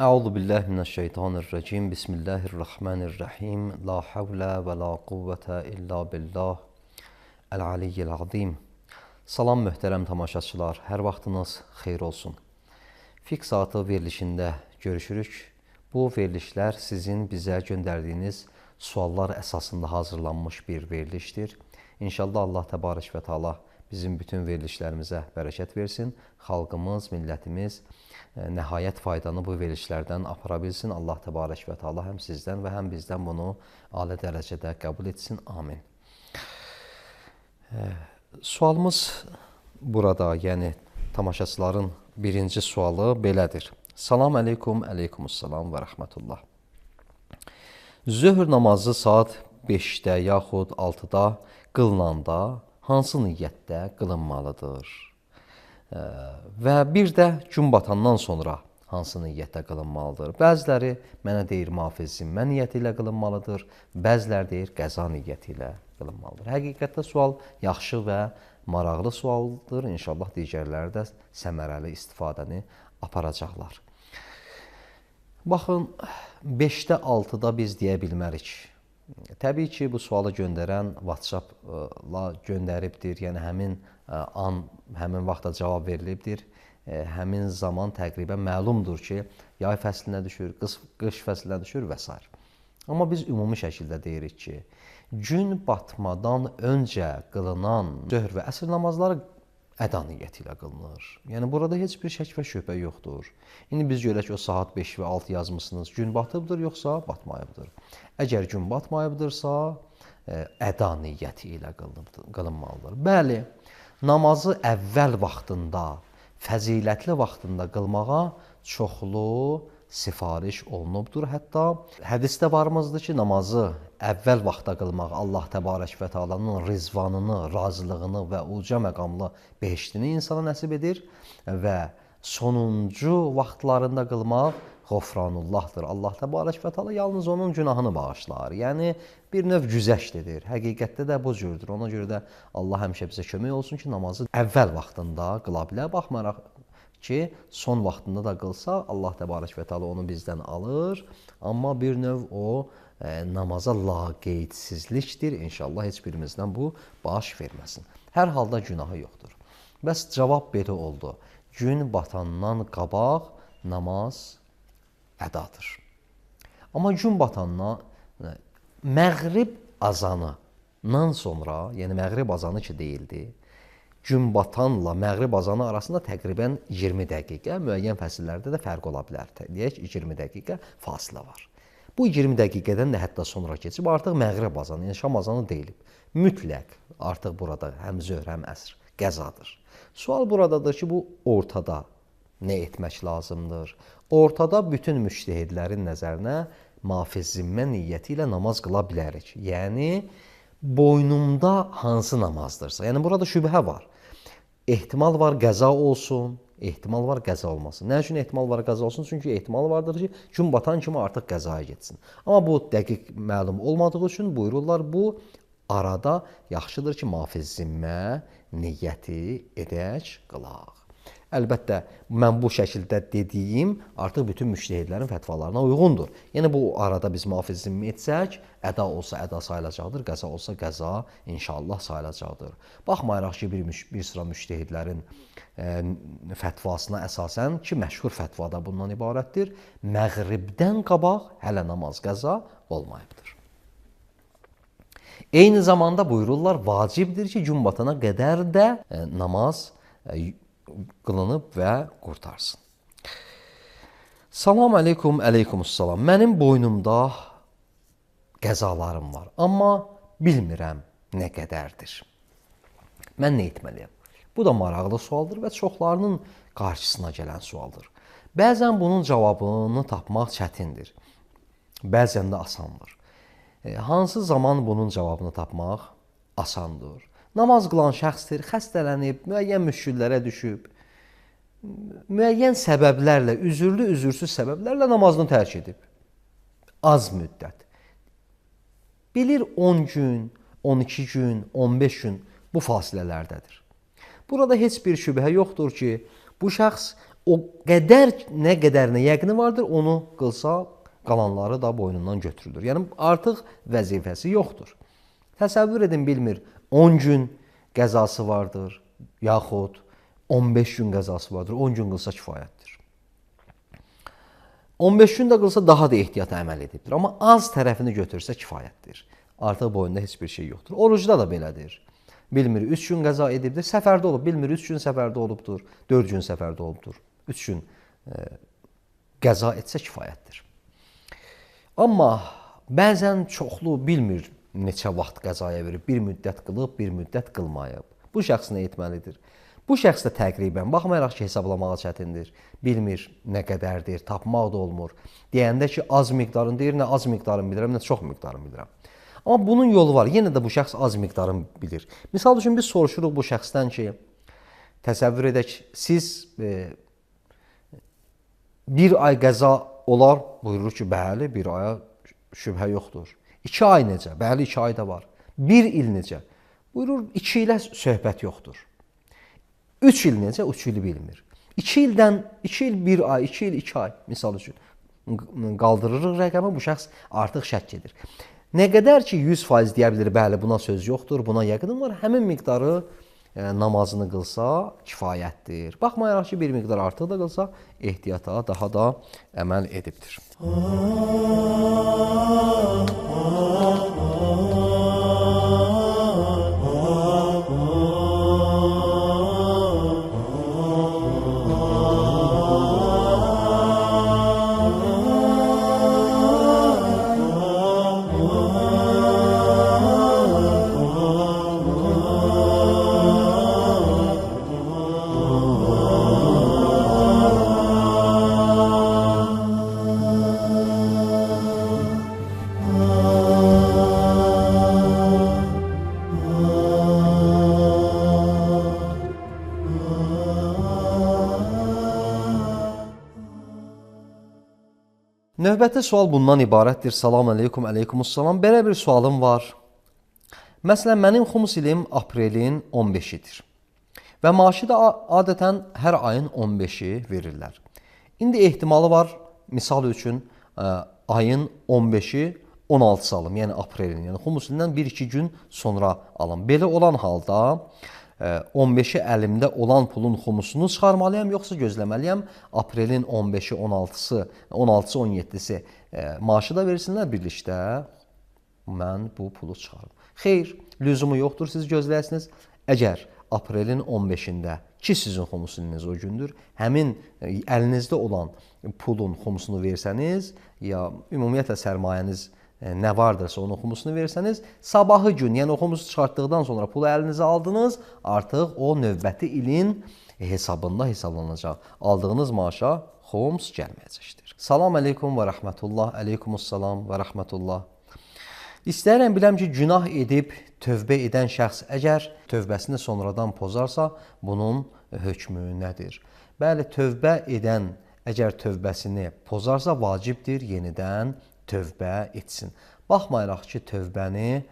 Euzu billahi mineşşeytanirracim. Bismillahirrahmanirrahim. La havle ve la kuvvete illa billah. El-aliyyil azim. Salam möhtərəm tamaşaçılar. Hər vaxtınız xeyir olsun. Fiqh saatı verilişində görüşürük. Bu verilişlər sizin bizə göndərdiyiniz suallar əsasında hazırlanmış bir verilişdir. İnşallah Allah təbarək və təala bizim bütün verilişlərimizə bərəkət versin. Xalqımız, millətimiz nəhayət faydanı bu verilişlərdən apara bilsin. Allah təbarək və təala həm sizdən və həm bizdən bunu ali dərəcədə qəbul etsin. Amin. Sualımız burada, yəni tamaşaçıların birinci sualı belədir. Salam əleykum, əleykumussalam və rəhmətullah. Zöhr namazı saat 5-də yaxud 6-da qılınanda hansı niyyətdə qılınmalıdır? Və bir də gün batandan sonra hansı niyyətdə qılınmalıdır? Bəziləri mənə deyir mafiz zimmə niyyəti ilə qılınmalıdır, bəziləri deyir qəza niyyəti ilə qılınmalıdır. Həqiqətdə sual yaxşı və maraqlı sualdır. İnşallah digərləri də səmərəli istifadəni aparacaqlar. Baxın, 5-də 6-da biz deyə bilmərik. Təbii ki, bu sualı göndərən WhatsApp-la göndəribdir, yəni həmin vaxtda cavab verilibdir. Həmin zaman təqribən məlumdur ki, yay fəslinə düşür, qış fəslinə düşür və s. Amma biz ümumi şəkildə deyirik ki, gün batmadan öncə qılınan zöhr və əsr namazları əda niyyəti ilə qılınır. Yəni, burada heç bir şək və şübhə yoxdur. İndi biz görək o saat 5 və 6 yazmışsınız, gün batıbdır, yoxsa batmayıbdır. Əgər gün batmayıbdırsa, əda niyyəti ilə qılınmalıdır. Bəli, namazı əvvəl vaxtında, fəzilətli vaxtında qılmağa çoxlu sifariş olunubdur. Hətta hədisdə varımızdır ki, namazı əvvəl vaxtda qılmaq Allah təbarək və təalanın rizvanını, razılığını və uca məqamlı behiştini insana nəsib edir və sonuncu vaxtlarında qılmaq Qofranullahdır. Allah təbarək və təala yalnız onun günahını bağışlar. Yəni, bir növ güzəştdir. Həqiqətdə də bu cürdür. Ona görə də Allah həmişə bizə kömək olsun ki, namazı əvvəl vaxtında qıla bilər. Baxmayaraq ki, son vaxtında da qılsa, Allah təbarək və təala onu bizdən alır. Amma bir növ o namaza laqeydsizlikdir. İnşallah heç birimizdən bu baş verməsin. Hər halda günahı yoxdur. Bəs cavab belə oldu. Gün batandan qabaq namaz ədadır. Amma gün batandan məğrib azanından sonra, yəni məğrib azanı ki deyildi, gün batanla məğrib azanı arasında təqribən 20 dəqiqə, müəyyən fəsillərdə də fərq ola bilər. Deyək, 20 dəqiqə fasilə var. Bu 20 dəqiqədən də hətta sonra keçib, artıq məğrib azanı, yəni şam azanı deyilib. Mütləq artıq burada həm zöhr, həm əsr qəzadır. Sual buradadır ki, bu ortada nə etmək lazımdır? Ortada bütün müştəhidlərin nəzərinə mafiz zimmə niyyəti ilə namaz qıla bilərik. Yəni, boynumda hansı namazdırsa, yəni burada şübhə var. Ehtimal var qəza olsun, ehtimal var qəza olmasın. Nə üçün ehtimal var qəza olsun? Çünki ehtimal vardır ki, gün batan kimi artıq qəzaya getsin. Amma bu dəqiq məlum olmadığı üçün buyururlar, bu arada yaxşıdır ki, mafiz zimmə niyyəti edək, qılaq. Əlbəttə, mən bu şəkildə dediyim artıq bütün müştəhidlərin fətvalarına uyğundur. Yəni, bu arada biz mafiz zimmə etsək, əda olsa əda sayılacaqdır, qəza olsa qəza inşallah sayılacaqdır. Baxmayaraq ki, bir sıra müştəhidlərin fətvasına əsasən ki, məşhur fətvada bundan ibarətdir, məğribdən qabaq hələ namaz qəza olmayıbdır. Eyni zamanda buyururlar, vacibdir ki, gün batana qədər də namaz qılınıb və qurtarsın. Salam əleykum, əleykumussalam. Mənim boynumda qəzalarım var, amma bilmirəm nə qədərdir. Mən nə etməliyəm? Bu da maraqlı sualdır və çoxlarının qarşısına gələn sualdır. Bəzən bunun cavabını tapmaq çətindir, bəzən də asandır. Hansı zaman bunun cavabını tapmaq asandır? Namaz qılan şəxsdir, xəstələnib, müəyyən müşküllərə düşüb, müəyyən səbəblərlə, üzürlü, üzürsüz səbəblərlə namazını tərk edib. Az müddət. Bilir 10 gün, 12 gün, 15 gün bu fasilələrdədir. Burada heç bir şübhə yoxdur ki, bu şəxs O qədər nə qədərinə yəqini vardır, onu qılsa qalanları da boynundan götürülür. Yəni artıq vəzifəsi yoxdur. Təsəvvür edin, bilmir 10 gün qəzası vardır, yaxud 15 gün qəzası vardır, 10 gün qılsa kifayətdir. 15 gün də qılsa daha da ehtiyat əməl edibdir. Amma az tərəfini götürsə kifayətdir. Artıq boynunda heç bir şey yoxdur. Orucda da belədir. Bilmir 3 gün qəza edibdir, səfərdə olub. Bilmir 3 gün səfərdə olubdur, 4 gün səfərdə olubdur. 3 gün qəza etsə kifayətdir. Amma bəzən çoxlu bilmir neçə vaxt qəzaya verib. Bir müddət qılıb, bir müddət qılmayıb. Bu şəxs nə etməlidir? Bu şəxs də təqribən, baxmayaraq ki, hesablamağa çətindir. Bilmir nə qədərdir, tapmaq da olmur. Deyəndə ki, az miqdarını deyir, nə az miqdarını bilirəm, nə çox miqdarını bilirəm. Amma bunun yolu var. Yenə də bu şəxs az miqdarını bilir. Misal üçün biz soruşuruq bu şəxsdən ki, təsəvvür edək, siz bir ay qəza olar, buyurur ki, bəli, bir aya şübhə yoxdur. 2 ay necə? Bəli, 2 ay da var. 1 il necə? Buyurur, 2 ilə söhbət yoxdur. 3 il necə? 3 ili bilmir. 2 ildən, 2 il 1 ay, 2 il 2 ay, misal üçün. Qaldırırıq rəqəmi, bu şəxs artıq şəkk edir. Nə qədər ki, 100% deyə bilir, bəli, buna söz yoxdur, buna yəqinim var, həmin miqdarı namazını qılsa kifayətdir. Baxmayaraq ki, bir miqdar artıq da qılsa, ehtiyata daha da əməl edibdir. Növbəti sual bundan ibarətdir. Salam aleykum, aleykumussalam. Belə bir sualım var. Məsələn, mənim xumus ilim aprelin 15-idir. Və maaşı da adətən hər ayın 15-i verirlər. İndi ehtimalı var, misal üçün, ayın 15-i 16 alım, yəni aprelin, yəni xumus ilindən 1-2 gün sonra alım. Belə olan halda 15-i əlimdə olan pulun xumusunu çıxarmalıyam, yoxsa gözləməliyəm. Aprelin 15-i, 16-sı, 16-sı, 17-si maaşı da versinlər birlikdə. Mən bu pulu çıxarım. Xeyr, lüzumu yoxdur, siz gözləyəsiniz. Əgər aprelin 15-də ki, sizin xumus iliniz o gündür, həmin əlinizdə olan pulun xumusunu versəniz, ya ümumiyyətlə sərmayəniz nə vardırsa onun xumusunu versəniz, sabahı gün, yəni o xumusu çıxartdıqdan sonra pulu əlinizə aldınız, artıq o növbəti ilin hesabında hesablanacaq. Aldığınız maaşa xumus gəlməyəcəkdir. Salam aleykum və rəhmətullah, aleykumussalam və rəhmətullah. İstəyirəm biləm ki, günah edib tövbə edən şəxs əgər tövbəsini sonradan pozarsa, bunun hökmü nədir? Bəli, tövbə edən əgər tövbəsini pozarsa, vacibdir yenidən tövbə etsin. Baxmayaraq ki, tövbəni,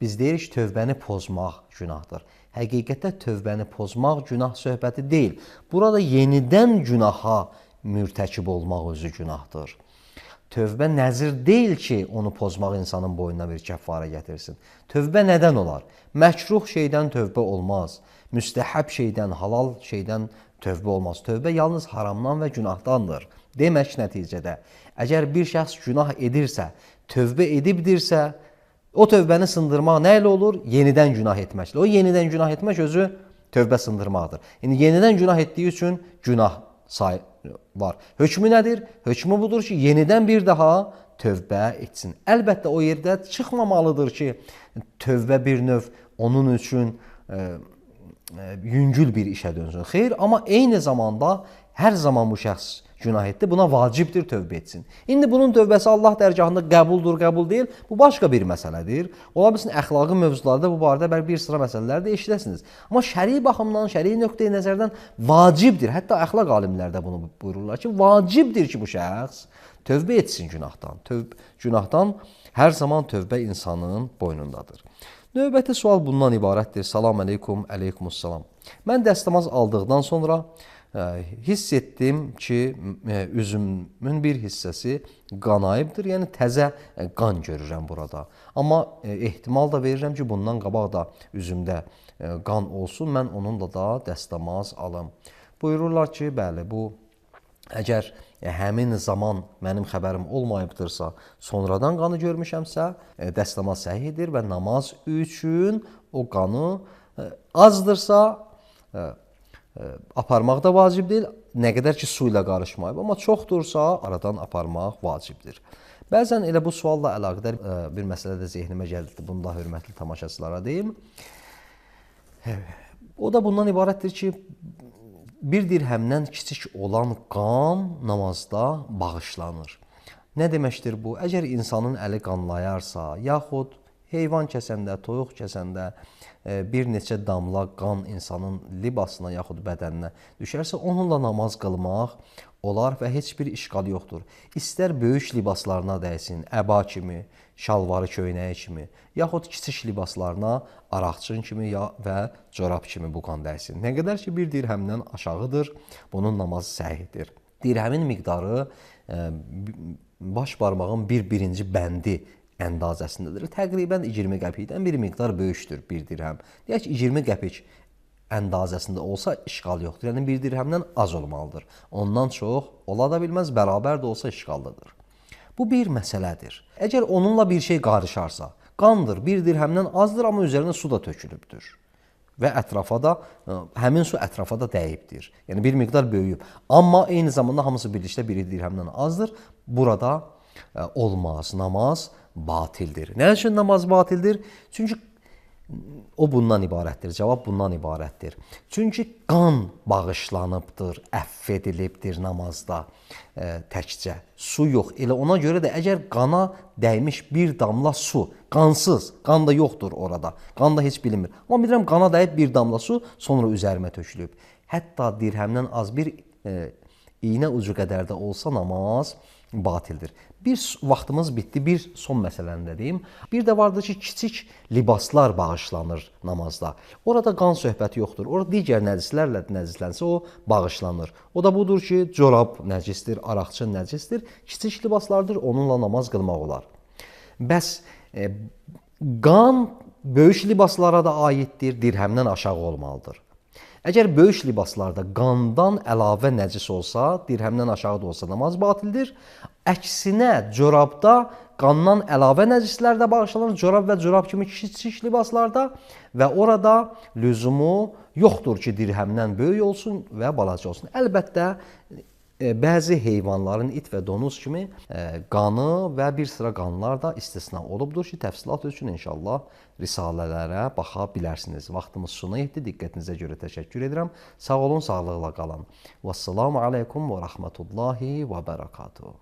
biz deyirik ki, tövbəni pozmaq günahdır. Həqiqətdə tövbəni pozmaq günah söhbəti deyil. Burada yenidən günaha mürtəkib olmaq özü günahdır. Tövbə nəzir deyil ki, onu pozmaq insanın boynuna bir kəffarə gətirsin. Tövbə nədən olar? Məkruh şeydən tövbə olmaz. Müstəhəb şeydən, halal şeydən tövbə olmaz. Tövbə yalnız haramdan və günahdandır. Demək nəticədə, əgər bir şəxs günah edirsə, tövbə edibdirsə, o tövbəni sındırmaq nə ilə olur? Yenidən günah etməklə. O yenidən günah etmək özü tövbə sındırmaqdır. Yəni, yenidən günah etdiyi üçün günah var. Hökmü nədir? Hökmü budur ki, yenidən bir daha tövbə etsin. Əlbəttə o yerdə çıxmamalıdır ki, tövbə bir növ onun üçün yüngül bir işə dönsün. Xeyr, amma eyni zamanda hər zaman bu şəxs günah etdi, buna vacibdir tövbə etsin. İndi bunun tövbəsi Allah dərgahında qəbuldur, qəbul deyil, bu başqa bir məsələdir. Ola bilsin, əxlaqi mövzularda bu barədə bir sıra məsələlər də eşidəsiniz. Amma şəri baxımdan, şəri nöqteyi nəzərdən vacibdir. Hətta əxlaq alimlər də bunu buyururlar ki, vacibdir ki, bu şəxs tövbə etsin günahdan. Günahdan hər zaman tövbə insanın boynundadır. Növbəti sual bundan ibarətdir. Salam aleykum, aleykumussalam. Mən dəstəmaz aldıqdan sonra hiss etdim ki, üzümün bir hissəsi qanayıbdır, yəni təzə qan görürəm burada. Amma ehtimal da verirəm ki, bundan qabaq da üzümdə qan olsun, mən onunla da dəstəmaz alım. Buyururlar ki, bəli, bu əgər həmin zaman mənim xəbərim olmayıbdırsa, sonradan qanı görmüşəmsə, dəstəmaz səhihdir və namaz üçün o qanı azdırsa, aparmaq da vacib deyil, nə qədər ki, su ilə qarışmayıb. Amma çoxdursa, aradan aparmaq vacibdir. Bəzən elə bu sualla əlaqədar bir məsələ də zehnimə gəldi. Bunu da hörmətli tamaşaçılara deyim. O da bundan ibarətdir ki, bir dirhəmdən kiçik olan qan namazda bağışlanır. Nə deməkdir bu? Əgər insanın əli qanlayarsa, yaxud heyvan kəsəndə, toyuq kəsəndə bir neçə damla qan insanın libasına yaxud bədəninə düşərsə, onunla namaz qılmaq olar və heç bir işqal yoxdur. İstər böyük libaslarına dəysin, əba kimi, şalvarı köynəyi kimi, yaxud kiçik libaslarına araqçın kimi və corab kimi bu qan dəysin. Nə qədər ki, bir dirhəmdən aşağıdır, bunun namazı səhihdir. Dirhəmin miqdarı baş barmağın birinci bəndi əndazəsindədir. Təqribən 20 qəpikdən bir miqdar böyükdür bir dirhəm. Deyək ki, 20 qəpik əndazəsində olsa işqal yoxdur. Yəni, bir dirhəmdən az olmalıdır. Ondan çox ola da bilməz, bərabər də olsa işqallıdır. Bu bir məsələdir. Əgər onunla bir şey qarışarsa, qandır, bir dirhəmdən azdır, amma üzərinə su da tökülübdür. Və ətrafa da, həmin su ətrafa da dəyibdir. Yəni, bir miqdar böyüyüb. Amma eyni zamanda hamısı birlikdə bir dirhəmdən azdır. Burada olmaz, namaz batildir. Nə üçün namaz batildir? Çünki o bundan ibarətdir, cavab bundan ibarətdir. Çünki qan bağışlanıbdır, əff edilibdir namazda təkcə. Su yox. Elə ona görə də əgər qana dəymiş bir damla su, qansız, qan da yoxdur orada, qan da heç bilinmir. Amma bilirəm, qana dəyib bir damla su, sonra üzərimə tökülüb. Hətta dirhəmdən az bir iynə ucu qədər də olsa namaz batildir. Bir vaxtımız bitdi, bir son məsələni də deyim. Bir də vardır ki, kiçik libaslar bağışlanır namazda. Orada qan söhbəti yoxdur. Orada digər nəcislərlə nəcislənsə o bağışlanır. O da budur ki, corab nəcisdir, araqçın nəcisdir. Kiçik libaslardır, onunla namaz qılmaq olar. Bəs qan böyük libaslara da aiddir, dirhəmdən aşağı olmalıdır. Əgər böyük libaslarda qandan əlavə nəcis olsa, dirhəmdən aşağı da olsa namaz batildir. Əksinə, corabda qandan əlavə nəcislər də bağışlanır, corab və corab kimi kiçik libaslarda və orada lüzumu yoxdur ki, dirhəmdən böyük olsun və balaca olsun. Əlbəttə, bəzi heyvanların, it və donuz kimi qanı və bir sıra qanlar da istisna olubdur ki, təfsilat üçün inşallah risalələrə baxa bilərsiniz. Vaxtımız sona yetdi. Diqqətinizə görə təşəkkür edirəm. Sağ olun, sağlıqla qalın. Vəssalamu aleykum və rəhmətullahi və bərəkatuhu.